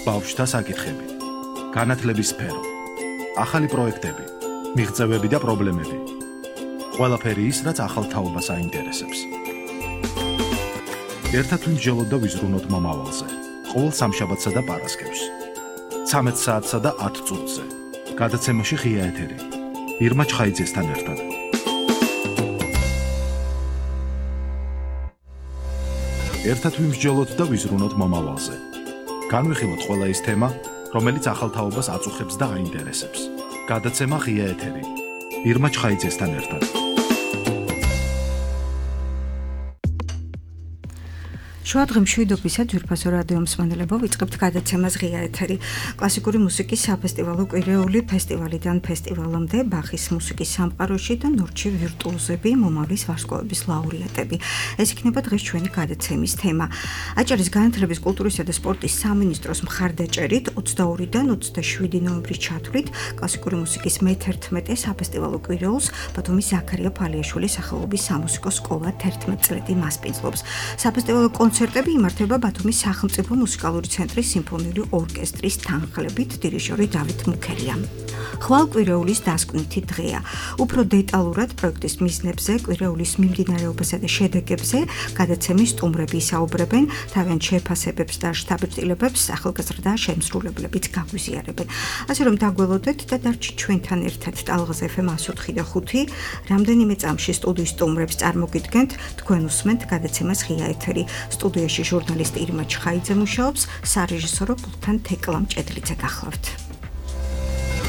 ბავშვთა საკითხები, განათლების სფერო, ახალი პროექტები, მიღწევები და პრობლემები. ყველაფერი ის, რაც ახალ თაობას აინტერესებს. ერთად ვიმსჯელოთ და ვიზრუნოთ მომავალზე. ყოველ სამშაბათსა და პარასკევს. 13 საათსა და 10 წუთზე. გადაცემაში ღია ეთერი. ირმა ჩხაიძესთან ერთად. ერთად ვიმსჯელოთ და ვიზრუნოთ მომავალზე. განვიხილოთ ყველა ის თემა, რომელიც ახალ თაობას აწუხებს და აინტერესებს. გადაცემა ღია ეთერი. ირმა ჩხაიძესთან ერთად. შუადღე მშვიდობისა ძვირფასო რადიო მსმენელებო, ვიწყებთ გადაცემას ღია ეთერი. კლასიკური მუსიკის საფესტივალო კვირეული ფესტივალიდან ფესტივალამდე ბახის მუსიკის სამყაროში და ნორჩი ვირტუოზები, მომავლის ვარსკვლავების ლაურეატები. ეს იქნება დღეს ჩვენი გადაცემის თემა. აჭარის განათლების, კულტურისა და სპორტის სამინისტროს მხარდაჭერით 22-დან 27 ნოემბრის ჩათვლით კლასიკური მუსიკის მე-11 საფესტივალო კვირეულს ბათუმის ზაქარია ფალიაშვილის სახელობის სამუსიკო სკოლა 11 წლეთი მასპინძლობს. საფესტივალო კონცერტები იმართება ბათუმის სახელმწიფო მუსიკალური ცენტრის სიმფონიური ორკესტრის თანხლებით, დირიჟორი დავით მუქერია. ხვალ კვირეულის დასკვნითი დღეა. უფრო დეტალურად პროექტის მიზნებზე, კვირეულის მიმდინარეობასა და შედეგებზე გადაცემის სტუმრები ისაუბრებენ, თავიანთ შეფასებებს და შთაბეჭდილებებს ახალგაზრდა შემსრულებლებიც გაგვიზიარებენ. ასე რომ დაგველოდეთ და დარჩით ჩვენთან ერთად ტალღაზ FM 104 და 5. რამდენიმე წამში სტუდიის სტუმრებს წარმოგიდგენთ, თქვენ უსმენთ გადაცემას ღია ეთერი. სტუდიაში ჟურნალისტი ირმა ჩხაიძე მუშაობს, სარეჟისორო პულტთან თეკლა მჭედლიძე გახლავთ.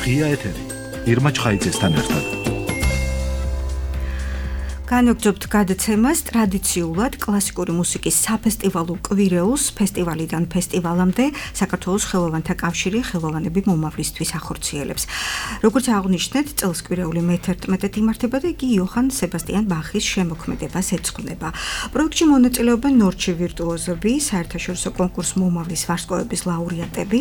ღია ეთერი. ირმა ჩხაიძესთან ერთად. განვაგრძობთ გადაცემას ტრადიციულად კლასიკური მუსიკის საფესტივალო კვირეულს ფესტივალიდან ფესტივალამდე საქართველოს ხელოვანთა კავშირი ხელოვანები მომავლისთვის ახორციელებს. როგორც აღნიშნეთ, წელს კვირეული მე-11 იმართება და იგი იოჰან სებასტიან ბახის შემოქმედებას ეძღვნება. პროექტში მონაწილეობენ ნორჩი ვირტუოზები, საერთაშორისო კონკურს მომავლის ვარსკვლავების ლაურეატები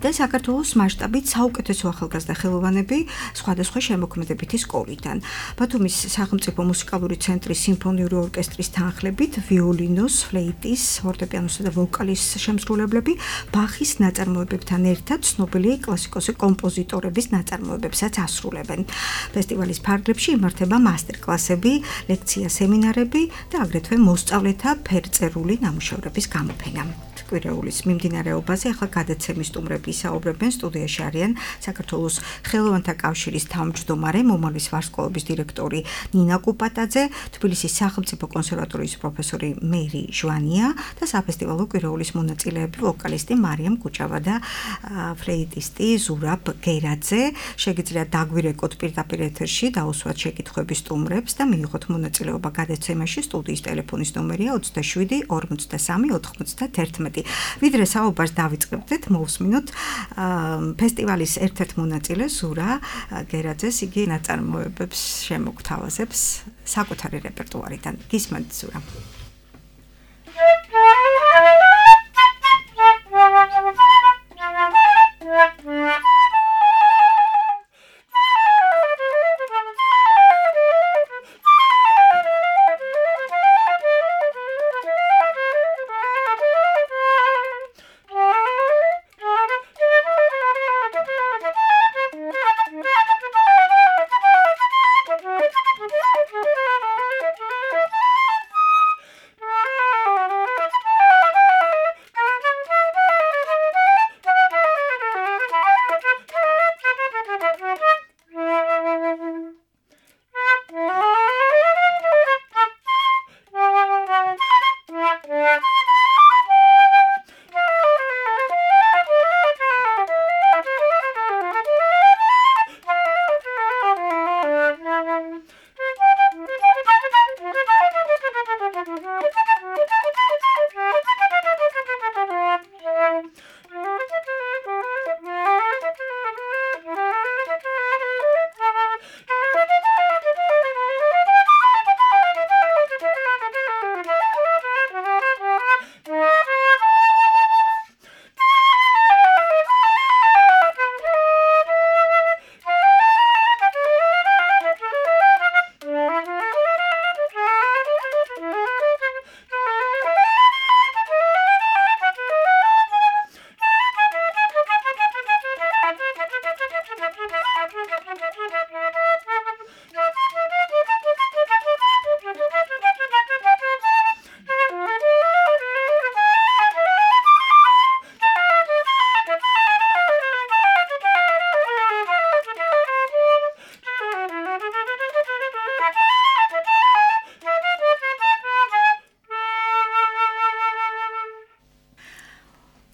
და საქართველოს მასშტაბით საუკეთესო ახალგაზრდა ხელოვანები სხვადასხვა შემოქმედებითი სკოლიდან. ბათუმის სახელმწიფო მუსიკალური ცენტრის სიმფონიური ორკესტრის თანხლებით ვიოლინოს, ფლეიტის, ფორტეპიანოსა და ვოკალის შემსრულებლები ბახის ნაწარმოებებთან ერთად ცნობილი კლასიკოსი კომპოზიტორების ნაწარმოებებსაც ასრულებენ. ფესტივალის ფარგლებში იმართება მასტერ-კლასები, ლექცია, სემინარები და აგრეთვე მოსწავლეთა ფერწერული ნამუშევრების გამოფენა. კვირეულის მიმდინარეობაზე ახლა გადაცემის სტუმრები ისაუბრებენ. სტუდიაში არიან საქართველოს ხელოვანთა კავშირის თავმჯდომარე, მომავლის ვარსკვლავების დირექტორი ნინა კუპატაძე, თბილისის სახელმწიფო კონსერვატორიის პროფესორი მერი ჟვანია და საფესტივალო კვირეულის მონაწილეები ვოკალისტი მარიამ კუჭავა და ფლეიტისტი ზურაბ გერაძე. შეგიძლიათ დაგვირეკოთ პირდაპირ ეთერში, დაუსვათ შეკითხვები სტუმრებს და მიიღოთ მონაწილეობა გადაცემაში. სტუდიის ტელეფონის ნომერია 27 43 91. ვიდრე საუბარს დავიწყებდეთ, მოვსმინოთ ფესტივალის ერთ-ერთ მონაწილეს ზურა გერაძეს, იგი ნაწარმოებებს შემოგთავაზებს საკუთარი რეპერტუარიდან. გისმენთ ზურა.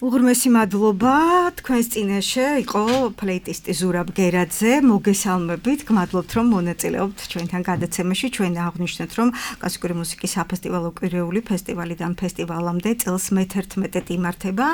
უღრმესი მადლობა თქვენს წინაშე იყო ფლეიტისტი ზურაბ გერაძე მოგესალმებით გმადლობთ რომ მონაწილეობთ ჩვენთან გადაცემაში ჩვენ აღვნიშნეთ რომ კლასიკური მუსიკის საფესტივალო კვირეული ფესტივალიდან ფესტივალამდე წელს მე-11 იმართება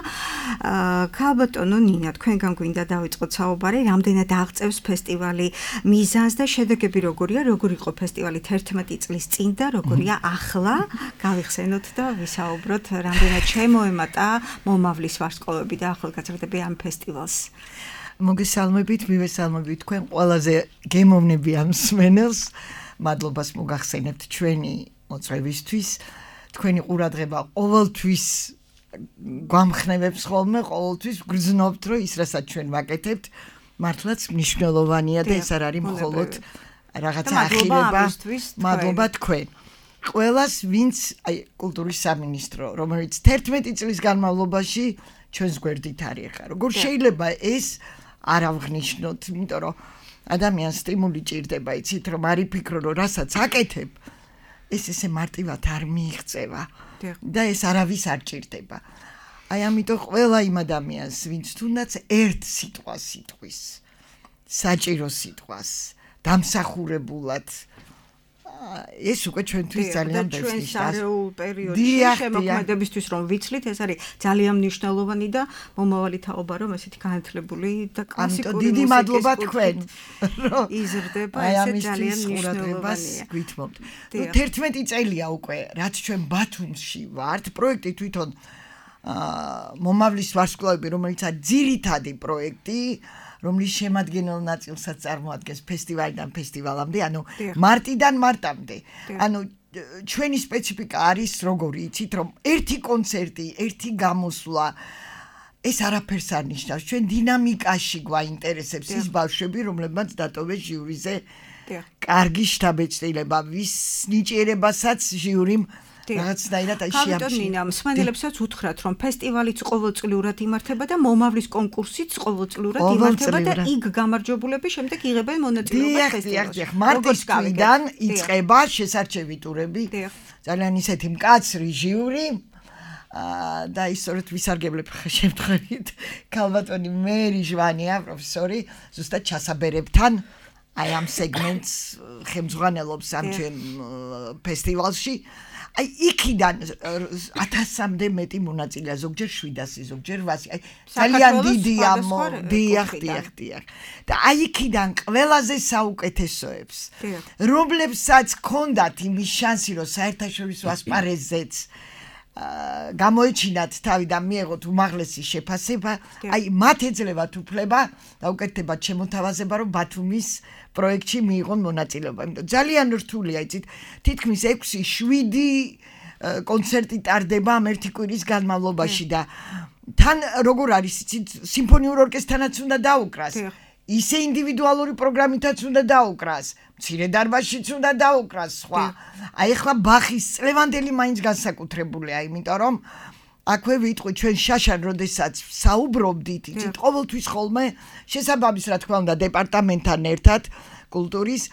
ქალბატონო ნინა თქვენგან გვინდა დავიწყოთ საუბარი რამდენად აღწევს ფესტივალი მიზანს და შედეგები როგორია როგორ იყო ფესტივალი 11 წლის წინ და როგორია ახლა გავიხსენოთ და ვისაუბროთ რამდენად შემოემატა მომავლის ვარსკვლავები და ახალგაზრდები ამ ფესტივალს. მოგესალმებით, მივესალმებით თქვენ ყველაზე გემოვნებიან მსმენელს. მადლობას მოგახსენებთ ჩვენი მოწვევისთვის. თქვენი ყურადღება ყოველთვის გვამხნევებს ხოლმე, ყოველთვის გრძნობთ, რომ ის რასაც ჩვენ ვაკეთებთ, მართლაც მნიშვნელოვანია და ეს არ არის მხოლოდ რაღაცა ახირება. მადლობა თქვენ. ყველას ვინც კულტურის სამინისტრო რომელიც 11 წლის განმავლობაში ჩვენს გვერდით არის ხა როგორ შეიძლება ეს არ ავღნიშნოთ იმიტომ რომ ადამიანს სტიმული ჭირდება იცით რომ არ იფიქრო რომ რასაც აკეთებ ეს ესე მარტივად არ მიიღწევა და ეს არავის არ ჭირდება აი ამიტომ ყველა იმ ადამიანს ვინც თუნდაც ერთ სიტყვას იტყვის საჭირო სიტყვას დამსახურებულად ეს უკვე ჩვენთვის ძალიან ბევრი ჩვენს არეულ პერიოდში შემოქმედებისთვის რომ ვიცლით ეს არის ძალიან მნიშვნელოვანი და მომავალი თაობა რომ ესეთი განათლებული და კლასიკური დიდი მადლობა თქვენ იზრდება ეს ძალიან მნიშვნელოვანია გვითმობთ 11 წელია უკვე რაც ჩვენ ბათუმში ვართ პროექტი თვითონ მომავლის ვარსკვლავები რომელიც არის ძირითადი პროექტი რომლის შემადგენელ ნაწილსაც წარმოადგენს ფესტივალიდან ფესტივალამდე, ანუ მარტიდან მარტამდე. ანუ ჩვენი სპეციფიკა არის როგორი, იცით, რომ ერთი კონცერტი, ერთი გამოსვლა ეს არაფერს არ ნიშნავს. ჩვენ დინამიკაში გვაინტერესებს ის ბავშვები, რომლებმაც დატოვეს ჟიურიზე კარგი შთაბეჭდილება, ვის ნიჭიერებასაც ჟიურიმ რაღაცნაირად აი შეამჩნია. ქალბატონინა, მსმენელებსაც უთხრათ, რომ ფესტივალიც ყოველწლიურად იმართება და მომავლის კონკურსიც ყოველწლიურად იმართება და იქ გამარჯვებულები შემდეგ იღებენ მონაწილეობას ფესტივალში. მარტის თვიდან იწყება შესარჩევი ტურები. ძალიან ისეთი მკაცრი ჟიური და ისწორედ ვისარგებლებ შემთხვევით ქალბატონი მერი ჟვანია, პროფესორი, ზუსტად ჩასაბერებთან აი ამ სეგმენტს ხელმძღვანელობს ამ ჩვენ ფესტივალში. აი იქიდან 1000-მდე მეტი მონაწილეა, ზოგჯერ 700, ზოგჯერ 800. აი ძალიან დიდია დიახ. და აი იქიდან ყველაზე საუკეთესოებს, რომლებსაც ჰქონდათ იმის შანსი, რომ საერთაშორისო ასპარეზზეც გამოეჩინათ თავი და მიეღოთ უმაღლესი შეფასება, აი მათ ეძლევათ უფლება და უკეთდებათ შემოთავაზება, რომ ბათუმის პროექტში მიიღონ მონაწილეობა. იმიტომ ძალიან რთულია, იცით, თითქმის 6-7 კონცერტი ტარდება ამ ერთი კვირის განმავლობაში და თან როგორ არის, იცით, სიმფონიურ ორკესტრთანაც უნდა დაუკრას. ისე ინდივიდუალური პროგრამითაც უნდა დაუკრას, მცირე დარბაზშიც უნდა დაუკრას, სხვა. აი ახლა ბახის წლევანდელი მაინც განსაკუთრებულია, იმიტომ რომ აქვე ვიტყვი ჩვენ შაშან როდესაც საუბრობდით, იცით, ყოველთვის ხოლმე შესაბამის რა თქმა უნდა დეპარტამენტთან ერთად კულტურის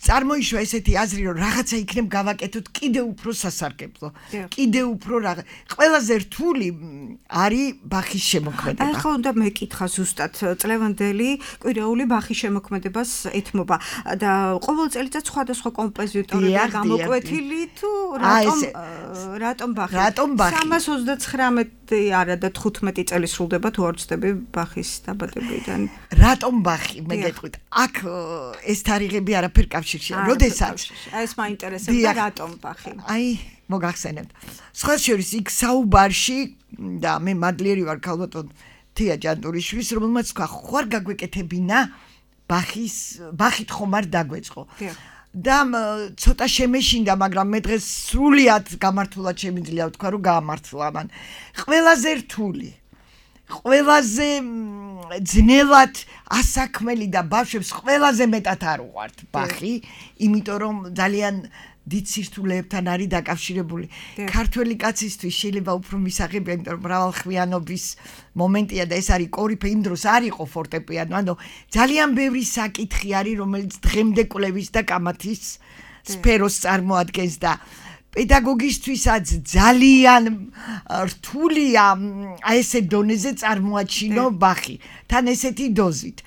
წარმოიშვა ესეთი აზრი რომ რაღაცა იქნებ გავაკეთოთ კიდე უფრო სასარგებლო. კიდე უფრო ყველაზე რთული არის ბახის შემოქმედება. ახლა უნდა მეკითხა ზუსტად წლევანდელი კვირეული ბახის შემოქმედებას ეთმობა და ყოველ წელიწად სხვადასხვა კომპოზიტორებია გამოკვეთილი თუ რატომ ბახი? 329 არა და 15 წელი სრულდება თუ არ ვცდები ბახის დაბადებიდან. რატომ ბახი? მე გეტყვით. აქ ეს თარიღები არაფერ კავშირშია. როდესაც ეს მაინტერესებდა რატომ ბახი? აი, მოგახსენებთ. სხვა შორის იქ საუბარში და მე მადლიერი ვარ ქალბატონ თია ჯანტურიშვილის, რომელმაც თქვა, ხوار გაგვეკეთებინა ბახით ხომ არ დაგვეწყო. და ცოტა შემეშინდა, მაგრამ მე დღეს სრულიად გამართულად შემიძლია ვთქვა, რომ გაამართლა მან. ყველაზე რთული ყველაზე ძნელად ასაქმელი და ბავშვებს ყველაზე მეტად არ უყვართ ბახი, იმიტომ რომ ძალიან დიდ სირთულეებთან არის დაკავშირებული. ქართველი კაცისთვის შეიძლება უფრო მისაღებია, იმიტომ რომ მრავალხმიანობის მომენტია და ეს არის კორიფე, იმ დროს არ იყო ფორტეპიანო, ანუ ძალიან ბევრი საკითხი არის, რომელიც დღემდე კვლევის და კამათის სფეროს წარმოადგენს და პედაგოგისთვისაც ძალიან რთულია აი ესე დონეზე წარმოაჩინო ბახი თან ესეთი დოზით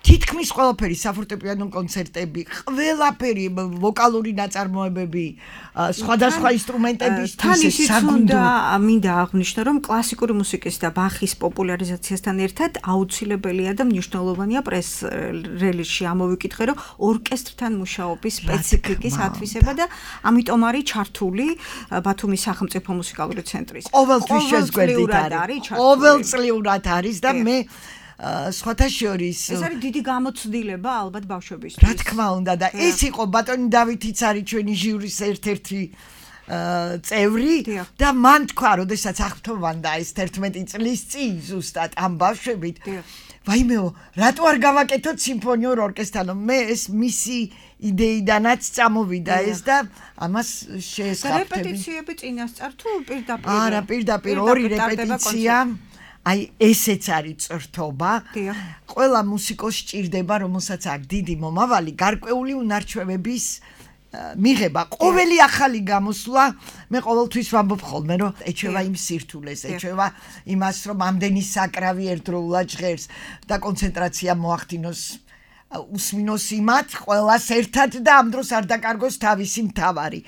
თითქმის ყველაფერი საფორტეპიანო კონცერტები ყველაფერი ვოკალური ნაწარმოებები სხვადასხვა ინსტრუმენტებისთვის საგუნდო მინდა აღვნიშნო რომ კლასიკური მუსიკის და ბახის პოპულარიზაციასთან ერთად აუცილებელია და მნიშვნელოვანია პრეს რელიზში ამოვიკითხე რომ ორკესტრთან მუშაობის სპეციფიკის ათვისება და ამიტომ არის ჩართული ბათუმის სახელმწიფო მუსიკალური ცენტრის ყოველთვის შეზგვერდით არის ყოველწლიურად არის და მე სხვათა შორის ეს არის დიდი გამოცდილება ალბათ ბავშვებისთვის რა თქმა უნდა და ეს იყო ბატონი დავითიც არის ჩვენი ჟიურის ერთ-ერთი წევრი და მან თქვა როდესაც აღფრთოვანდა ეს 11 წლის წინ ზუსტად ამ ბავშვებით ვაიმეო რატო არ გავაკეთოთ სიმფონიურ ორკესტრთან მე ეს მისი იდეიდანაც წამოვიდა ეს და ამას შეესაბამება რეპეტიციები წინასწარ თუ პირდაპირ არა პირდაპირ ორი რეპეტიცია აი ესეც არის წრთობა ყველა მუსიკოსს სჭირდება რომელსაც აქვს დიდი მომავალი გარკვეული უნარჩვევების მიღება ყოველი ახალი გამოსვლა მე ყოველთვის ვამბობ ხოლმე რომ ეჩვევა იმ სირთულეს ეჩვევა იმას რომ ამდენი საკრავი ერთდროულად ჟღერს და კონცენტრაცია მოახდინოს უსმინოს იმათ ყველას ერთად და ამ დროს არ დაკარგოს თავისი მთავარი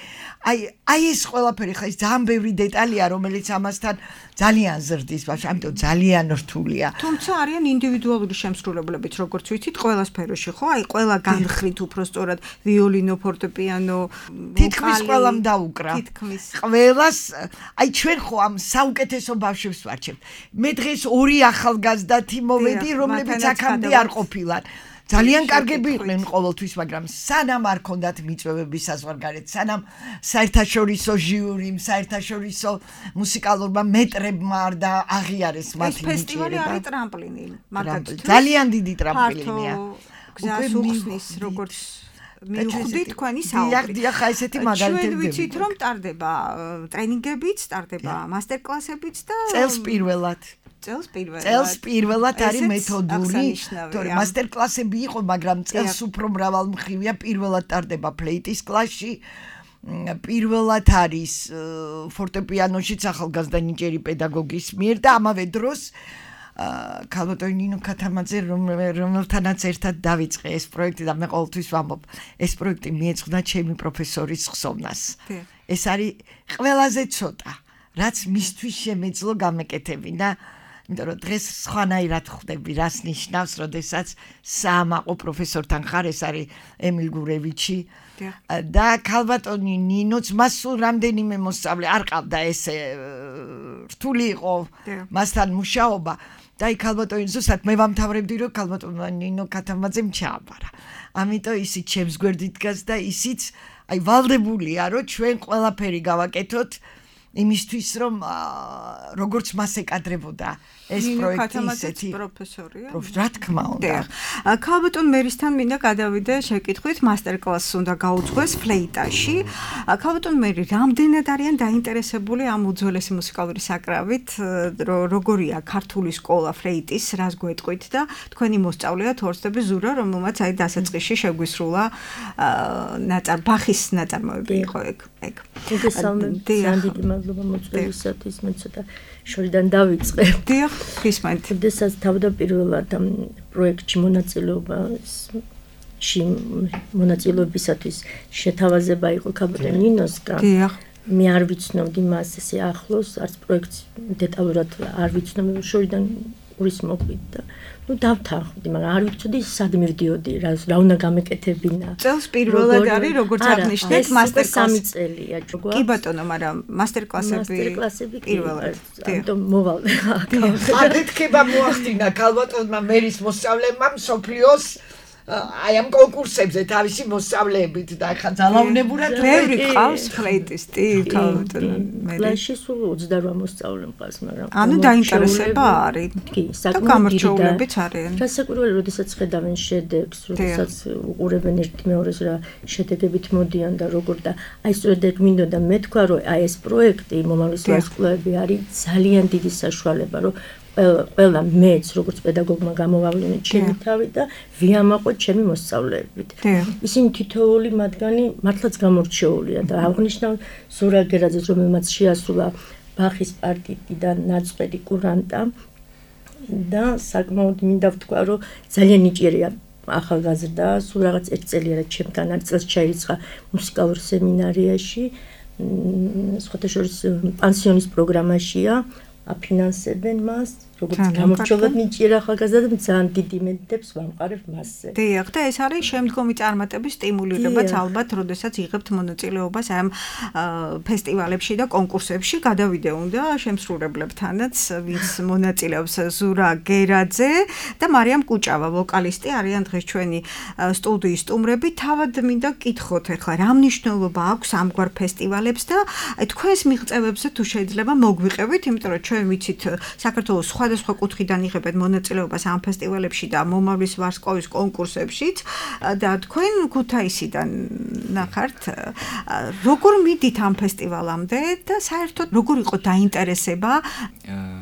აი ეს ყველაფერი ხა ის ძალიან ბევრი დეტალია რომელიც ამასთან ძალიან ზრდის ბავშვი ამიტომ ძალიან რთულია თუმცა არიან ინდივიდუალური შემსრულებლებიც როგორც ვიცით ყველა სფეროში ხო აი ყველა განხრით უფრო სწორად ვიოლინო ფორტეპიანო თითქმის ყველამ დაუკრა ყველას აი ჩვენ ხო ამ საუკეთესო ბავშვებს ვარჩევთ მე დღეს ორი ახალგაზრდათი მოვედი რომლებიც აქამდე არ ყოფილან ძალიან კარგები იყვნენ ყოველთვის, მაგრამ სანამ არ ქონდათ მიწვევების საზღვარგარეთ, სანამ საერთაშორისო ჟიურიმ, საერთაშორისო მუსიკალურმა მეტრებმა არ და აღიარეს მათი მიწვევები. ეს ფესტივალი არის ტრამპლინი, მაგალითად. ძალიან დიდი ტრამპლინია. გზას უხსნის, როგორც მივხვდით თქვენი საუბრი. დიახ, ესეთი მაგალითები. ჩვენ ვიცით, რომ ტარდება ტრენინგებიც, ტარდება მასტერკლასებიც და წელს წელს პირველად არის მეთოდური თორემ მასტერკლასები იყო მაგრამ წელს უფრო მრავალმხრივია პირველად ტარდება ფლეიტის კლასში პირველად არის ფორტეპიანოშიც ახალგაზრდა ნიჭიერი პედაგოგის მიერ და ამავე დროს ქალბატონი ნინო ქათამაძე რომელთანაც ერთად დავიწყე ეს პროექტი და მე ყოველთვის ვამბობ ეს პროექტი მიეძღვნა ჩემი პროფესორის ხსოვნას ეს არის ყველაზე ცოტა რაც მისთვის შემეძლო გამეკეთები და იმიტომ რომ დღეს სხვანაირად ხვდები რას ნიშნავს როდესაც საამაყო პროფესორთან ხარ ეს არის ემილ გურევიჩი და ქალბატონი ნინოც მას სულ რამდენიმე მოსწავლე არ ყავდა ესე რთული იყო მასთან მუშაობა და აი ქალბატონი ზუსტად მე ვამთავრებდი რომ ქალბატონმა ნინო ქათამაძემ ჩააბარა ამიტომ ისიც ჩემს გვერდით დგას და ისიც აი ვალდებულია რომ ჩვენ ყველაფერი გავაკეთოთ იმისთვის რომ როგორც მას ეკადრებოდა ეს პროექტი ისეთი პროფესორია რა თქმა უნდა ქალბატონ მერისთან მინდა გადავიდე შეკითხვით მასტერკლასს უნდა გაუძღვეს ფლეიტაში ქალბატონ მერი რამდენად არიან დაინტერესებული ამ უძველესი მუსიკალური საკრავით როგორია ქართული სკოლა ფლეიტის რას გვეტყვით და თქვენი მოსწავლეა თორსტები ზურა რომელმაც აი დასაწყისში შეგვისრულა ბახის ნაწარმოები იყო ეგ მადლობა მოწვევისათვის მე ცოტა შორიდან დავიწყე. დიახ, გისმენთ. შესაძლოა თავდაპირველად ამ პროექტში მონაწილეობისათვის შეთავაზება იყო ქალბატონ ნინოსკა. დიახ. მე არ ვიცნობდი მას ესე ახლოს, არც პროექტს დეტალურად არ ვიცნობ, შორიდან ურის მოყვით და დავთანხმდი, მაგრამ არ ვიცოდი სად მივდიოდი, რა უნდა გამეკეთებინა. წელს პირველად არის როგორც აღნიშნეთ მასტერკლასი 3 წელია ჯგუფ. კი ბატონო, მაგრამ მასტერკლასები პირველად. ამიტომ მოვალ. აფეთქება მოახდინა ქალბატონმა მერის მოსწავლეებმა მსოფლიოს აი ამ კონკურსებზე თავისი მოსწავლეებით და ახლა ძალაუნებურად ბევრი ყავს ფლეიტისტი ქალბატონო მე კლასში სულ 28 მოსწავლე მყავს მაგრამ ანუ დაინტერესება არის კი საკმაოდ არიან რასაკვირველია როდესაც ხედავენ შედეგს როდესაც უყურებენ ერთი მეორეს რა შედეგებით მოდიან და როგორ და აი სწორედ ეგ მინდოდა მე თქვა რომ აი ეს პროექტი მომავლის ვარსკვლავები არის ძალიან დიდი საშუალება რომ ყველა მეც როგორც პედაგოგმა გამოვავლინე ჩემი თავი და ვიამაყო ჩემი მოსწავლეებით. ისინი თითოეული მათგანი მართლაც გამორჩეულია და აღნიშნავ ზურაბ გერაძეს, რომელმაც შეასრულა ბახის პარტიტიდან ნაწყვეტი კურანტა და საკმაოდ მინდა ვთქვა, რომ ძალიან ნიჭიერია ახალგაზრდა, სულ რაღაც 1 წელია ჩემთან არ წელს ჩაირიცხა მუსიკალურ სემინარიაში, სხვათა შორის პანსიონის პროგრამაშია, აფინანსებენ მას, როგორც გამორჩეულად ნიჭიერ ახალგაზრდა და ძალიან დიდი იმედებს ვამყარებ მასზე. დიახ, და ეს არის შემდგომი წარმატების სტიმულირებაც ალბათ, როდესაც იღებთ მონაწილეობას ამ ფესტივალებში და კონკურსებში. გადავიდე უნდა შემსრულებლებთანაც, ვინც მონაწილეობს, ზურა გერაძე და მარიამ კუჭავა, ვოკალისტი არიან დღეს ჩვენი სტუდიის სტუმრები. თავად მინდა გკითხოთ ახლა, რა მნიშვნელობა აქვს ამგვარ ფესტივალებს და თქვენს მიღწევებზე თუ შეიძლება მოგვიყევით, იმიტომ რომ ჩვენ ვიცით საქართველოს სხვადასხვა კუთხიდან იღებენ მონაწილეობას ამ ფესტივალებში და მომავლის ვარსკვლავის კონკურსებშიც და თქვენ ქუთაისიდან ნახართ, როგორ მიდით ამ ფესტივალამდე და საერთოდ როგორ იყო დაინტერესება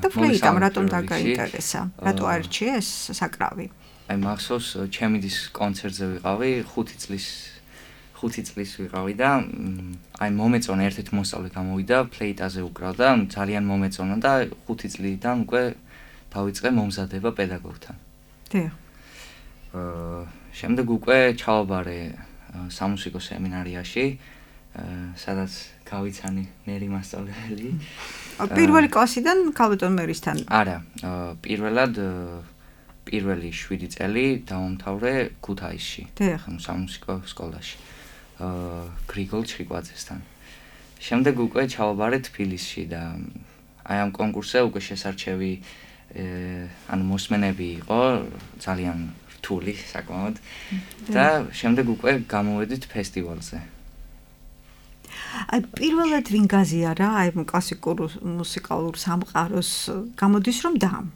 და ფლეიტამ რატომ დაგაინტერესა? რატო აირჩიეს საკრავი? აი მახსოვს, ჩემი დის კონცერტზე ვიყავი, 5 წლის ვიყავი და აი მომეწონა ერთ-ერთი მოსწავლე გამოვიდა, ფლეიტაზე უკრავდა, ძალიან მომეწონა და 5 წლიდან უკვე დავიწყე მომზადება პედაგოგთან. დიახ. შემდეგ უკვე ჩავაბარე სამუსიკო სემინარიაში, სადაც გავიცანი მერი მასწავლებელი. პირველი კლასიდან ქალბატონ მერისთან? არა, პირველად პირველი 7 წელი დავამთავრე ქუთაისში, სამუსიკო სკოლაში. გრიგოლ ჩხიკვაძესთან. შემდეგ უკვე ჩავაბარე თბილისში და აი ამ კონკურსზე უკვე შესარჩევი ანუ მოსმენები იყო ძალიან რთული საკმაოდ და შემდეგ უკვე გამოვედით ფესტივალზე. აი პირველად ვინ გაზიარა აი კლასიკურ მუსიკალურ სამყაროს გამოდის რომ დამ?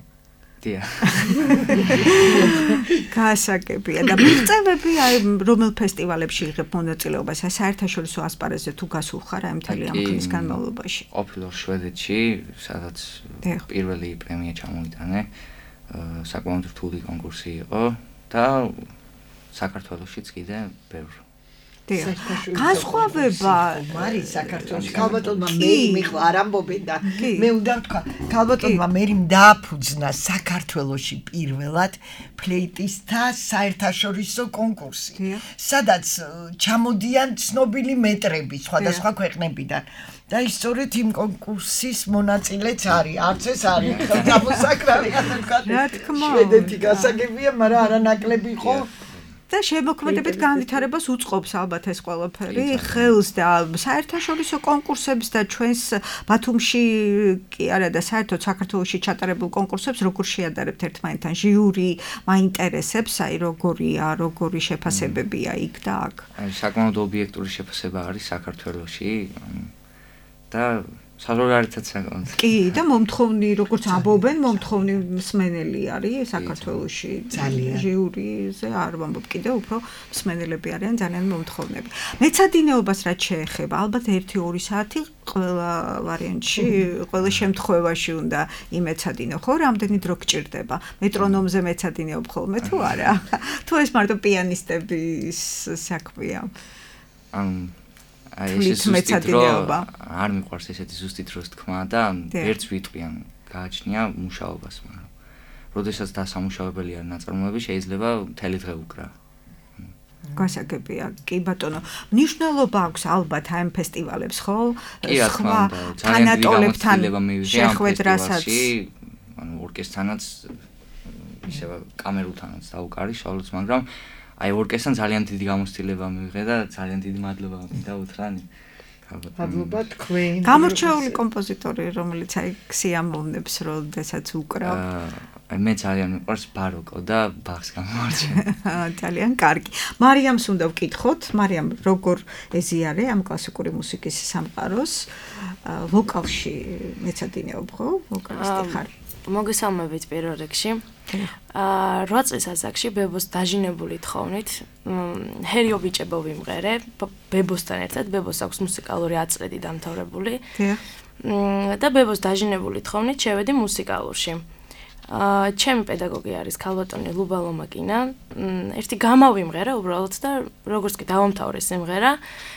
გასაგებია და მიღწევები აი რომელ ფესტივალებში იღებ მონაწილეობას? აი საერთაშორისო ასპარეზზე თუ გასულ ხარ აი მთელი ამ ხნის განმავლობაში? ყოფილვარ შვედეთში, სადაც პირველი პრემია ჩამოვიტანე. საკმაოდ რთული კონკურსი იყო და საქართველოშიც კიდე ბევრი. განსხვავება არის საქართველოს ქალბატონმა მერიმ ეხლა არ ამბობენ და მე უნდა ვთქვა ქალბატონმა მერიმ დააფუძნა საქართველოში პირველად ფლეიტისტთა საერთაშორისო კონკურსი სადაც ჩამოდიან ცნობილი მეტრები სხვადასხვა ქვეყნებიდან და ის სწორედ იმ კონკურსის მონაწილეც არის არც ეს არის გამოსაკრავი ასე ვთქვა შვედეთი გასაგებია მაგრამ არანაკლები იყო და შემოქმედებით განვითარებას უწყობს ალბათ ეს ყველაფერი ხელს და საერთაშორისო კონკურსებს და ჩვენს ბათუმში კი არა და საერთოდ საქართველოში ჩატარებულ კონკურსებს როგორ შეადარებთ ერთმანეთთან ჟიური მაინტერესებს აი როგორი შეფასებებია იქ და აქ აი საკმაოდ ობიექტური შეფასება არის საქართველოში და საზღვარგარეთაც საკმაოდ. კი, და მომთხოვნი, როგორც ამბობენ, მომთხოვნი მსმენელი არის საქართველოში. ძალიან. ჟიურიზე არ ვამბობ, კიდევ უფრო მსმენელები არიან ძალიან მომთხოვნები. მეცადინეობას რაც შეეხება, ალბათ 1-2 საათი ყველა ვარიანტში, ყველა შემთხვევაში უნდა იმეცადინო, ხო? რამდენი დრო გჭირდება? მეტრონომზე მეცადინეობ ხოლმე თუ არა? თუ ეს მარტო პიანისტების საქმეა? აი ეს მეცადინეობა არ მიყვარს ესეთი ზუსტი დროს თქმა და ერთს ვიტყვიან გააჩნია მუშაობას მაგრამ როდესაც დასამუშავებელი არ ნაწარმოები შეიძლება მთელი დღე უკრა გასაგებია კი ბატონო მნიშვნელობა აქვს ალბათ ამ ფესტივალებს ხო სხვა თანატოლებთან შეხვედრასაც ანუ ორკესტრთანაც ისევ კამერულთანაც დაუკარი შავლოც მაგრამ აი ორკესტრთან ძალიან დიდი გამოცდილება მივიღე და ძალიან დიდი მადლობა მინდა უთხრა მადლობა თქვენ გამორჩეული კომპოზიტორი რომელიც აი სიამოვნებს როდესაც უკრავ აი მე ძალიან მიყვარს ბაროკო და ბახს გამორჩენ ძალიან კარგი მარიამს უნდა ვკითხოთ მარიამ როგორ ეზიარე ამ კლასიკური მუსიკის სამყაროს ვოკალში მეცადინეობ ხო ვოკალისტი ხარ მოგესალმებით პირველ რიგში 8 წლის ასაკში ბებოს დაჟინებული თხოვნით ჰერიო ბიჭებო ვიმღერე ბებოსთან ერთად ბებოს აქვს მუსიკალური აწრედი დამთავრებული და ბებოს დაჟინებული თხოვნით შევედი მუსიკალურში ჩემი პედაგოგი არის ქალბატონი ლუბა ლომაკინა. ერთი გამავიმღერა უბრალოდ და როგორც კი დავამთავრე სიმღერა,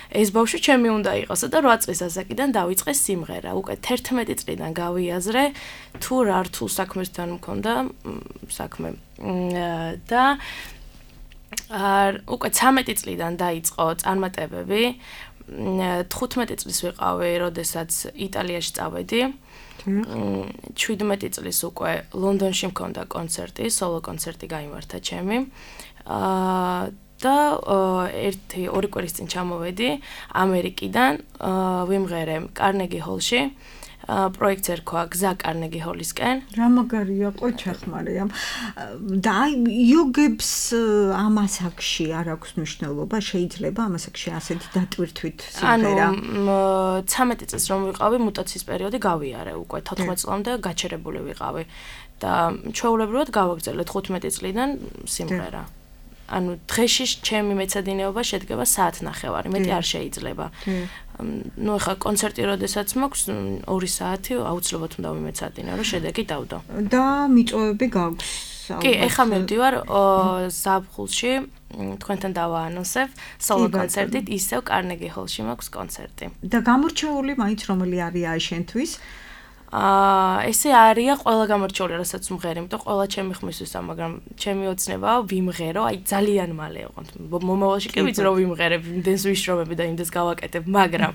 ეს ბავშვი ჩემი უნდა იყოსო და 8 წლის ასაკიდან დავიწყე სიმღერა. უკვე 11 წლიდან გავიაზრე თუ რა რთულ საქმესთან მქონდა საქმე. და უკვე 13 წლიდან დაიწყო წარმატებები. 15 წლის ვიყავი, როდესაც იტალიაში წავედი. 17 წლის უკვე ლონდონში მქონდა კონცერტი, სოლო კონცერტი გაიმართა ჩემი. და 1-2 კვირის წინ ჩამოვედი ამერიკიდან, ვიმღერე კარნეგი ჰოლში. პროექტს ერქვა გზა კარნეგი ჰოლისკენ. რა მაგარია, ყოჩახმარია. და იოგებს ამ ასაკში არ აქვს მნიშვნელობა, შეიძლება ამ ასაკში ასეთი დატვირთვით სიმღერა. ანუ 13 წელს რომ ვიყავი, მუტაციის პერიოდი გავიარე უკვე 14 წლამდე გაჩერებული ვიყავი და ჩვეულებრივად გავაგრძელე 15 წლიდან სიმღერა. ანუ დღეში ჩემი მეცადინეობა შედგება საათნახევარი, მეტი არ შეიძლება. ნუ ხა კონცერტი როდესაც მაქვს 2 საათი აუცილებლად უნდა ვიმეცადინე, რომ შედეგი დავდო. და მიწვევები გაქვს? კი, ეხლა მივდივარ ზაფხულში, თქვენთან დავაანონსებ სოლო კონცერტით, ისევ კარნეგი ჰოლში მაქვს კონცერტი. და გამორჩეული მაინც რომელი არია შენთვის? ესე არია ყველა გამორჩეული, რასაც ვმღერ, იმიტომ ყველა ჩემი ხმისთვისა, მაგრამ ჩემი ოცნებაა ვიმღერო, აი ძალიან მალე ოღონდ. მომავალში კი ვიცი რომ ვიმღერებ, იმდენს ვიშრომები და იმდენს გავაკეთებ, მაგრამ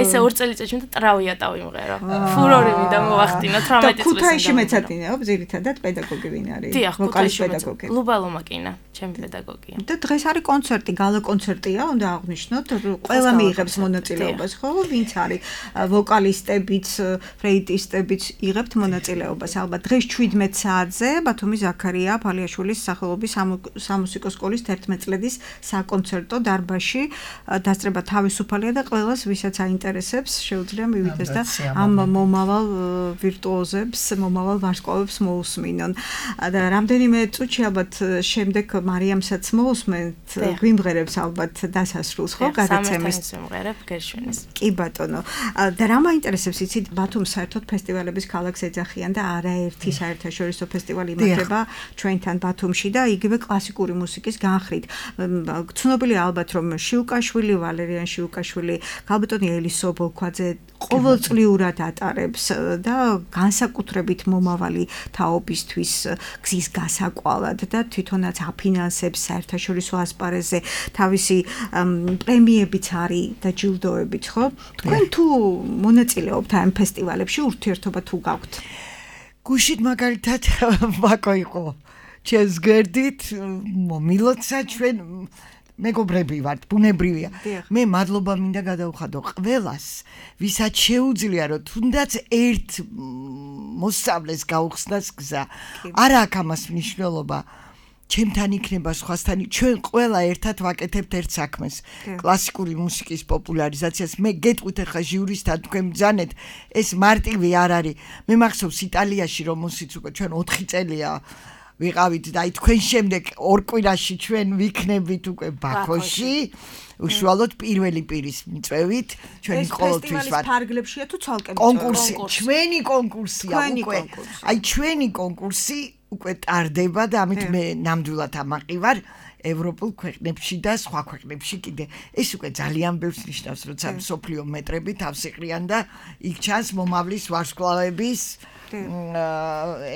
ესე 2 წელიწადში უნდა ტრავიატა ვიმღერო. ფურორი მინდა მოვახდინო 18 წელს. ქუთაისში მეცადინეობ ზირითადად პედაგოგი ვინ არის? ვოკალის პედაგოგი. ლუბა ლომაკინა, ჩემი პედაგოგია. და დღეს არის კონცერტი, გალა კონცერტია, უნდა აღვნიშნოთ, ყველა მიიღებს მონაწილეობას, ხო? ვინც არის ვოკალისტებიც ფრეიტისტებიც იღებთ მონაწილეობას. ალბათ დღეს 17 საათზე ბათუმის ზაქარია ფალიაშვილის სახელობის სამუსიკო სკოლის 11 წლედის საკონცერტო დარბაზში დასწრება თავისუფალია და ყველას ვისაც აინტერესებს შეუძლია მივიდეს და ამ მომავალ ვირტუოზებს, მომავალ ვარსკვლავებს მოусმინონ. და რამდენიმე წუთში ალბათ შემდეგ მარიამსაც მოусმენთ, გვიმღერებს ალბათ დასასრულს, ხო, გადაცემის. ვიმღერებ გერშვენის. კი ბატონო. და რა მაინტერესებს იცით ბათუმს საერთოდ ფესტივალების ქალაქს ეძახიან და არაერთი საერთაშორისო ფესტივალი იმართება ჩვენთან ბათუმში და იგივე კლასიკური მუსიკის განხრით. ცნობილია ალბათ რომ შიუკაშვილი, ვალერიან შიუკაშვილი, ქალბატონი ელისო ბოლქვაძე ყოველწლიურად ატარებს და განსაკუთრებით მომავალი თაობისთვის გზის გასაკვალად და თვითონაც აფინანსებს საერთაშორისო ასპარეზზე თავისი პრემიებიც არის და ჯილდოებიც, ხო? თქვენ თუ მონაწილეობთ ამ ფესტივალებში, ურთიერთობა თუ გაქვთ? გუშინ მაგალითად ვაკო იყო ჩემს გვერდით, მომილოცა ჩვენ მეგობრები ვართ, ბუნებრივია. მე მადლობა მინდა გადავხადო ყველას, ვისაც შეუძლია რომ თუნდაც ერთ მოსწავლეს გაუხსნას გზა. არა აქვს ამას მნიშვნელობა. ჩემთან იქნება სხვასთან, ჩვენ ყველა ერთად ვაკეთებთ ერთ საქმეს. კლასიკური მუსიკის პოპულარიზაციას. მე გეტყვით ახლა ჟიურისთან თქვენ ბრძანეთ, ეს მარტივი არ არის. მე მახსოვს იტალიაში რომ მუსიც უკვე ჩვენ 4 წელია ვიყავით და აი თქვენ შემდეგ 2 კვირაში ჩვენ ვიქნებით უკვე ბაქოში. უშუალოდ პირველი პირის მიწვევით ჩვენი ყოველთვის ვარ. ეს ფარგლებშია თუ ცალკე კონკურსი, ჩვენი კონკურსია უკვე. აი ჩვენი კონკურსი უკვე ტარდება და ამით მე ნამდვილად ამაყივარ ევროპულ ქვეყნებში და სხვა ქვეყნებში კიდე. ეს უკვე ძალიან ბევრს ნიშნავს, როცა მსოფლიო მეტრები თავს იყრიან და იქ ჩანს მომავლის ვარსკვლავების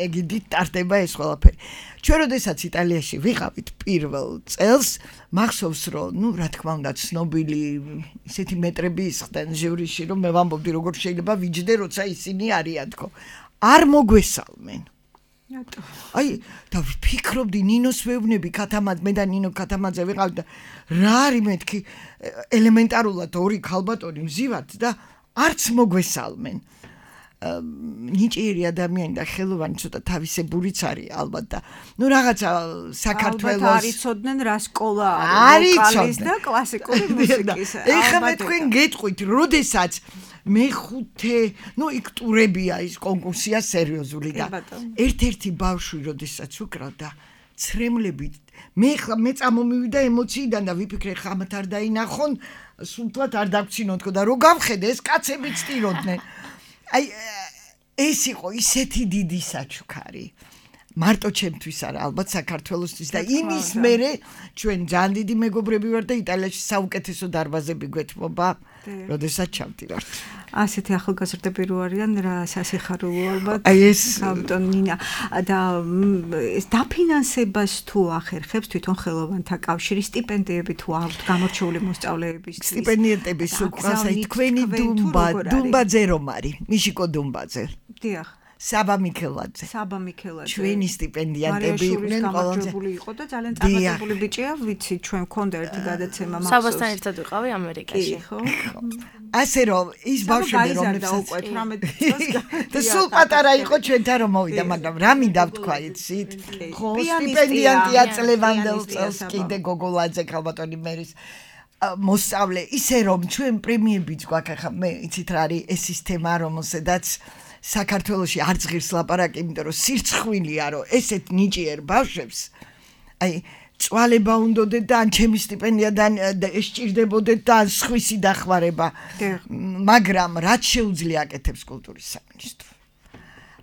ეგიდით ტარდება ეს ყველაფერი. ჩვენ როდესაც იტალიაში ვიყავით პირველ წელს, მახსოვს რომ, ნუ რა თქმა უნდა, ცნობილი ისეთი მეტრები ისხდნენ ჟიურიში, რომ მე ვამბობდი როგორ შეიძლება ვიჯდე, როცა ისინი არიან თქო. არ მოგვესალმენ. აი, და ვფიქრობდი ნინოს ვეუბნები კათამაძე, მე და ნინო კათამაძე ვიყავით და რა არის მეთქი ელემენტარულად 2 ქალბატონი მზივართ და არც მოგვესალმენ. ნიჭიერი ადამიანი და ხელოვანი ცოტა თავისებურიც არის ალბათ და ნუ რაღაცა საქართველოს ალბათ არიცოდნენ რა სკოლა არის ვოკალის და კლასიკური მუსიკის. ეხლა მე თქვენ გეტყვით, როდესაც მე-5, ნუ იქ ტურებია ის კონკურსია სერიოზული და ერთ-ერთი ბავშვი როდესაც უკრავდა ცრემლებით მე წამომივიდა ემოციიდან და ვიფიქრე ხამათ არ დაინახონ, სულთვად არ დაგცინოთ და რო გავხედე ეს კაცები ცტიროდნენ. აი ეს იყო ისეთი დიდი საჩუქარი. მარტო ჩემთვის არა, ალბათ საქართველოსთვის და იმის მერე ჩვენ ძალიან დიდი მეგობრები ვარ და იტალიაში საუკეთესო დარბაზები გვეთმობა, როდესაც ჩავდივართ. ასეთი ახალგაზრდები რო არიან რა სასიხარულო ალბათ. აი ეს საბტონ ნინა და ეს დაფინანსებას თუ ახერხებს თვითონ ხელოვანთა კავშირი სტიპენდიები თუ აქვთ გამორჩეული მოსწავლეებისთვის. სტიპენდიების უკრას აი თქვენი დუმბაძე რომ არის, მიშიკო დუმბაძე. დიახ. საბა მიქელაძე. ჩვენი სტიპენდიანტები იყვნენ ყველაზე იყო და ძალიან წარმატებული ბიჭია, ვიცი, ჩვენ მქონდა ერთი გადაცემა მახსოვს. საბასთან ერთად ვიყავი ამერიკაში. ხო. ასე რომ ის ბავშვები რომლებსაც უკვე 18 წელს და სულ პატარა იყო ჩვენთან რომ მოვიდა, მაგრამ რა მინდა ვთქვა იცით? ხო, სტიპენდიანტია წლევანდელ წელს კიდე გოგოლაძე ქალბატონი მერის მოსწავლე, ისე რომ ჩვენ პრემიებიც გვაქვს ახლა მე იცით რა არის ეს სისტემა რომელსაც საქართველოში არ ზღირს ლაპარაკი, იმიტომ რომ სირცხვილია, რომ ესეთ ნიჭიერ ბავშვებს აი წვალება უნდოდეთ და ან ჩემი სტიპენდიადან ეს ჭირდებოდეთ და ან სხვისი დახმარება. მაგრამ რაც შეუძლია აკეთებს კულტურის სამინისტრო.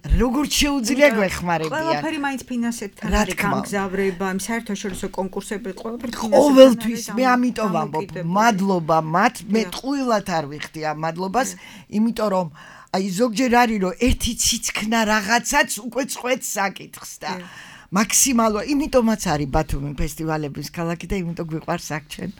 როგორც შეუძლია გვეხმარებიან. ყველაფერი მაინც ფინანსებთან არის გამგზავრება, საერთაშორისო კონკურსები ყველაფერი ყოველთვის მე ამიტომ ვამბობ, მადლობა მათ, მე ტყუილად არ ვიხდი ამ მადლობას, იმიტომ რომ აი ზოგჯერ არის რომ ერთი ციცქნა რაღაცაც უკვე წყვეტს საკითხს და მაქსიმალურად იმიტომაც არის ბათუმი ფესტივალების ქალაქი და იმიტომ გვიყვარს აქ ჩვენ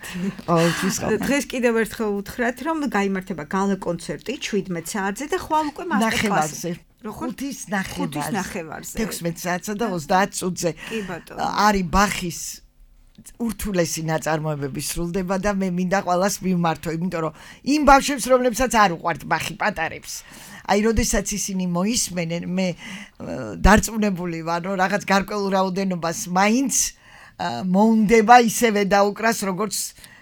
ყოველთვის ხავთ. დღეს კიდევ ერთხელ უთხრათ რომ გაიმართება გალა კონცერტი 17 საათზე და ხვალ უკვე მასტერკლასი. ხუთის ნახევარზე. 16 საათსა და 30 წუთზე. კი ბატონო. არის ბახის ურთულესი ნაწარმოებები სრულდება და მე მინდა ყველას მიმართო, იმიტომ რომ იმ ბავშვებს, რომლებსაც არ უყვართ ბახი პატარებს. აი, როდესაც ისინი მოისმენენ, მე დარწმუნებული ვარ, რომ რაღაც გარკვეულ რაოდენობას მაინც მოუნდება ისევე დაუკრას, როგორც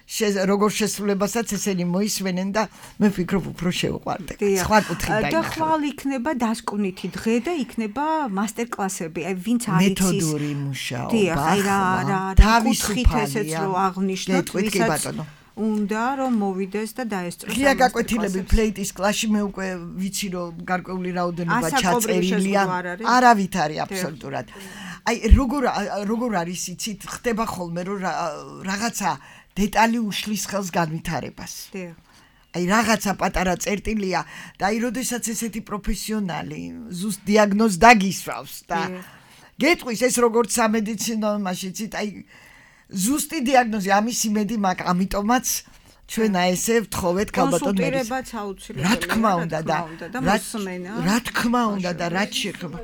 შესრულებასაც ესენი მოისმენენ და მე ვფიქრობ უფრო შევყვარდეთ. სხვა კუთხით და ხვალ იქნება დასკვნითი დღე და იქნება მასტერკლასები. აი ვინც არ იცის მეთოდური მუშაობა. დიახ, აი რა თავისუფალია. ესეც რო აღნიშნოთ, ვისაც უნდა რომ მოვიდეს და დაესწროს. ღია გაკვეთილები ფლეიტის კლასში მე უკვე ვიცი რომ გარკვეული რაოდენობა ჩაწერილია. არავით არის აბსოლუტურად. აი როგორ არის იცით, ხდება ხოლმე რომ რაღაცა დეტალი უშლის ხელს განვითარებას. აი რაღაცა პატარა წერტილია და აი როდესაც ესეთი პროფესიონალი ზუსტ დიაგნოზს დაგისვავს და გეტყვის ეს როგორც სამედიცინო მაშინც აი ზუსტი დიაგნოზი ამის იმედი მაქვს, ამიტომაც ჩვენ ესე ვთხოვეთ ქალბატონ მერის. კონსულტირებაც აუცილებელი. რა თქმა უნდა და მოსმენა. რა თქმა უნდა და რაც შეეხება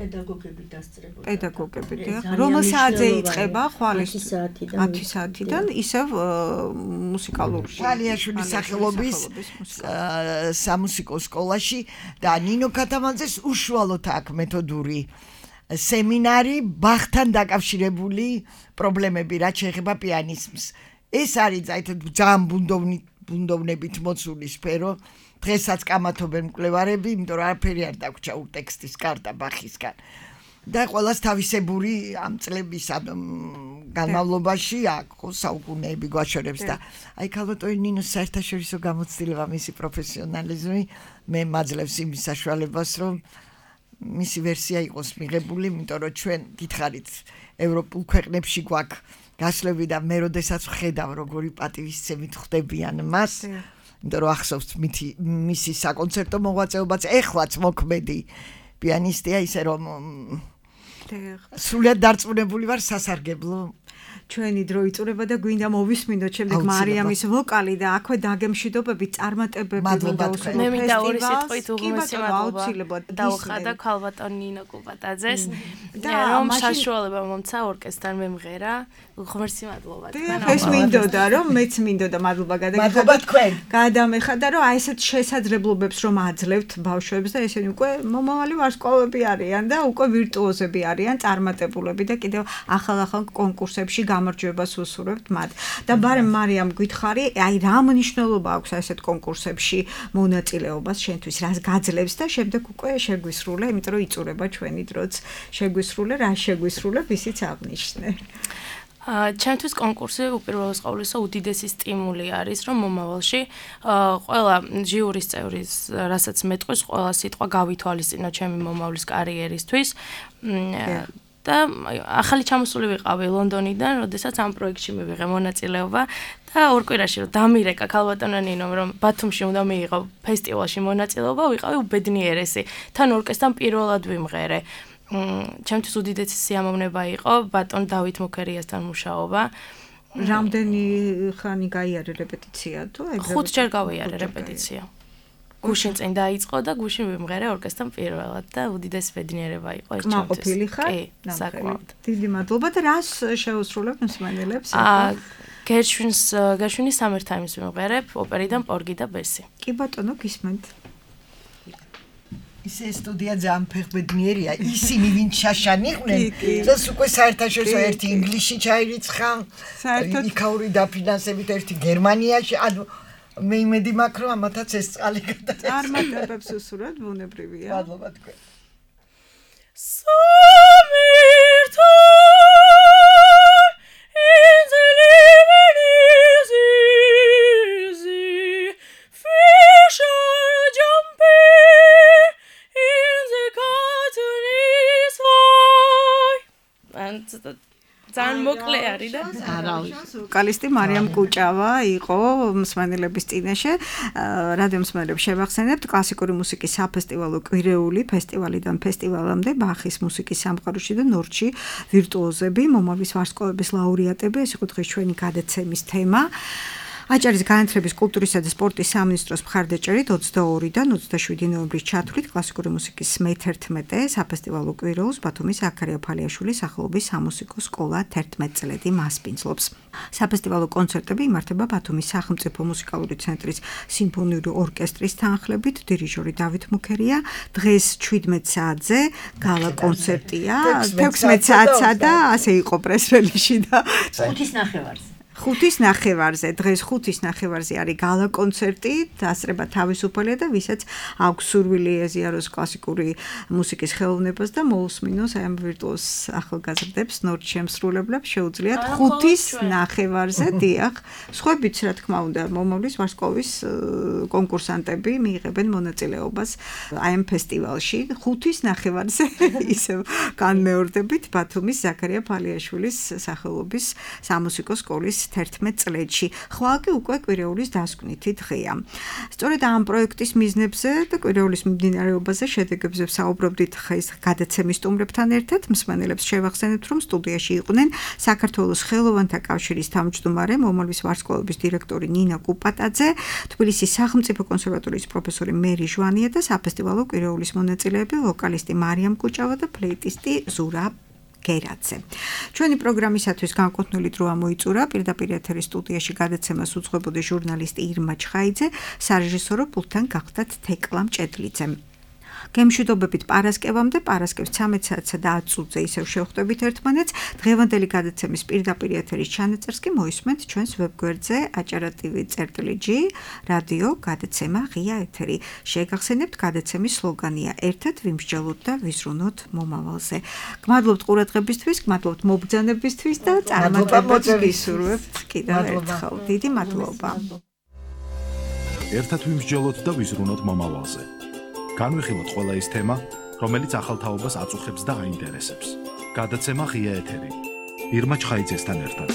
პედაგოგები დასწრებოდნენ. პედაგოგები დიახ. რომელ საათზე იწყება ხვალის 10 საათიდან ისევ მუსიკალური თალიაშვილის სახელობის სამუსიკო სკოლაში და ნინო ქათამაძეს უშუალოდ აქვს მეთოდური სემინარი ბახთან დაკავშირებული პრობლემები, რაც შეეხება პიანიზმს. ეს არის ძალიან ბუნდოვნებით მოცული სფერო. დღესაც კამათობენ მკვლევარები, იმიტომ რომ არაფერი არ დაგვრჩა ტექსტის კარტა ბახისგან. და ყველას თავისებური ამ წლების განმავლობაში აქვს საუკუნეები გვაშორებს და აი ქალბატონი ნინოს საერთაშორისო გამოცდილება მისი პროფესიონალიზმი მე მაძლევს იმის საშუალებას, რომ მისი ვერსია იყოს მიღებული, იმიტომ რომ ჩვენ გითხარით ევროპულ ქვეყნებში გვაქვს გასვლები და მე როდესაც ვხედავ როგორი პატივისცემით ხვდებიან მას, იმიტომ რომ ახსოვს მისი საკონცერტო მოღვაწეობაც ეხლაც მოქმედი პიანისტია, ისე რომ სრულიად დარწმუნებული ვარ სასარგებლო ჩვენი დრო იწურება და გვინდა მოვისმინოთ შემდეგ მარიამის ვოკალი და აქვე დაგემშვიდობები წარმატებები მინდა უსმენთ. მე მინდა ორი სიტყვით უღმესი მადლობა დაუხადა ქალბატონ ნინო კუბატაძეს რომ საშუალება მომცა ორკესტრთან მემღერა უღმესი მადლობა თქვენ. ეს მინდოდა რომ მეც მინდოდა მადლობა მადლობა თქვენ. გადამეხადა რომ აი ესეთ შესაძლებლობებს რომ აძლევთ ბავშვებს და ესენი უკვე მომავალი ვარსკვლავები არიან და უკვე ვირტუოზები არიან, წარმატებულები და კიდევ ახალ კონკურსებში გამარჯვებას უსურვებთ მათ. და ბარემ მარიამ გითხარი, აი რა მნიშვნელობა აქვს ასეთ კონკურსებში მონაწილეობას შენთვის, რას გაძლევს და შემდეგ უკვე შეგვისრულე, იმიტომ რომ იწურება ჩვენი დროც. შეგვისრულე, რა შეგვისრულე, ისიც აღნიშნე. ჩემთვის კონკურსი უპირველეს ყოვლისა უდიდესი სტიმული არის, რომ მომავალში ყველა ჟიურის წევრის, რასაც მეტყვის, ყველა სიტყვა გავითვალისწინო ჩემი მომავლის კარიერისთვის. და ახალი ჩამოსული ვიყავი ლონდონიდან, როდესაც ამ პროექტში მივიღე მონაწილეობა და ორ კვირაში რომ დამირეკა ქალბატონო ნინომ, რომ ბათუმში უნდა მიიღო ფესტივალში მონაწილეობა, ვიყავი უბედნიერესი. თან ორკესტრთან პირველად ვიმღერე. ჩემთვის უდიდესი სიამოვნება იყო ბატონ დავით მუქერიასთან მუშაობა. რამდენი ხანი გაიარე რეპეტიცია თუ ეგრევე? 5 ჯერ გავიარე რეპეტიცია. გუშინ წინ დაიწყო და გუშინ ვიმღერე ორკესტრთან პირველად და უდიდესი ბედნიერება იყო ეს ჩემთვის. კმაყოფილი ხარ? კი, საკმაოდ. დიდი მადლობა და რას შეუსრულებ მსმენელებს? გერშვინის Summertime-ს ვიმღერებ, ოპერიდან პორგი და ბესი. კი ბატონო, გისმენთ. ისე სტუდია ძალიან ფეხბედნიერია, ისინი ვინ შაშანიყვნენ, და უკვე საერთაშორისო ერთი ინგლისში ჩაირიცხა, იქაური დაფინანსებით ერთი გერმანიაში, ანუ მე იმედი მაქვს, რომ ამათაც ეს წყალი გადაეცა. წარმატებებს უსურვებთ, ბუნებრივია. მადლობა თქვენ. ძალიან მოკლე არის და ვოკალისტი მარიამ კუჭავა იყო მსმენელების წინაშე. რადიო მსმენელებს შევახსენებთ კლასიკური მუსიკის საფესტივალო კვირეული ფესტივალიდან ფესტივალამდე ბახის მუსიკის სამყაროში და ნორჩი ვირტუოზები, მომავლის ვარსკვლავების ლაურეატები, ეს იყო დღეს ჩვენი გადაცემის თემა. აჭარის განათლების, კულტურისა და სპორტის სამინისტროს მხარდაჭერით 22-დან 27 ნოემბრის ჩათვლით კლასიკური მუსიკის მე-11 საფესტივალო კვირეულს ბათუმის ზაქარია ფალიაშვილის სახელობის სამუსიკო სკოლა 11 წლედი მასპინძლობს. საფესტივალო კონცერტები იმართება ბათუმის სახელმწიფო მუსიკალური ცენტრის სიმფონიური ორკესტრის თანხლებით, დირიჟორი დავით მუქერია. დღეს 17 საათზე გალა კონცერტია, 16 საათსა და ასე იყო პრეს-რელიზში და 5:30-ზე, დღეს 5:30-ზე არის გალა კონცერტი, დასწრება თავისუფალია და ვისაც აქვს სურვილი ეზიაროს კლასიკური მუსიკის ხელოვნებას და მოусმინოს აი ამ ვირტუოზ ახალგაზრდებს, ნორჩ შემსრულებლებს შეუძლიათ 5:30-ზე, დიახ, სხვაებიც რა თქმა უნდა, მომავლის ვარსკვლავის კონკურსანტები მიიღებენ მონაწილეობას აი ამ ფესტივალში 5:30-ზე ისევ განმეორდებით ბათუმის ზაქარია ფალიაშვილის სახელობის სამუსიკო სკოლის 11 წლედში. ხვალ კი უკვე კვირეულის დასკვნითი დღეა. სწორედ ამ პროექტის მიზნებზე და კვირეულის მიმდინარეობაზე შედეგებზე საუბრობდით ხეს გადაცემის სტუმრებთან ერთად. მსმენელებს შევახსენებთ, რომ სტუდიაში იყვნენ საქართველოს ხელოვანთა კავშირის თავმჯდომარე, მომავლის ვარსკვლავების დირექტორი ნინა კუპატაძე, თბილისის სახელმწიფო კონსერვატორიის პროფესორი მერი ჟვანია და საფესტივალო კვირეულის მონაწილეები ვოკალისტი მარიამ კუჭავა და ფლეიტისტი ზურა გერაძე. ჩვენი პროგრამისათვის განკუთვნილი დრო ამოიწურა პირდაპირ ეთერის სტუდიაში გადაცემას უძღვებოდი ჟურნალისტი ირმა ჩხაიძე, სარეჟისორო პულტთან გახდათ თეკლა მჭედლიძე. გემშვიდობებით პარასკევამდე, პარასკევს 13 საათსა და 10 წუთზე ისევ შევხვდებით ერთმანეთს. დღევანდელი გადაცემის პირდაპირ ეთერის ჩანაწერს კი მოისმენთ ჩვენს ვებგვერდზე acara.tv/g რადიო გადაცემა ღია ეთერი. შეგახსენებთ გადაცემის სლოგანია: ერთად ვიმსჯელოთ და ვიზრუნოთ მომავალზე. გმადლობთ ყურადღებისთვის, გმადლობთ მობრძანებისთვის და წარმატებებს გისურვებთ კიდევ ერთხელ. დიდი მადლობა. ერთად ვიმსჯელოთ და ვიზრუნოთ მომავალზე. განვიხილოთ ყველა ის თემა, რომელიც ახალ თაობას აწუხებს და აინტერესებს. გადაცემა ღია ეთერი. ირმა ჩხაიძესთან ერთად.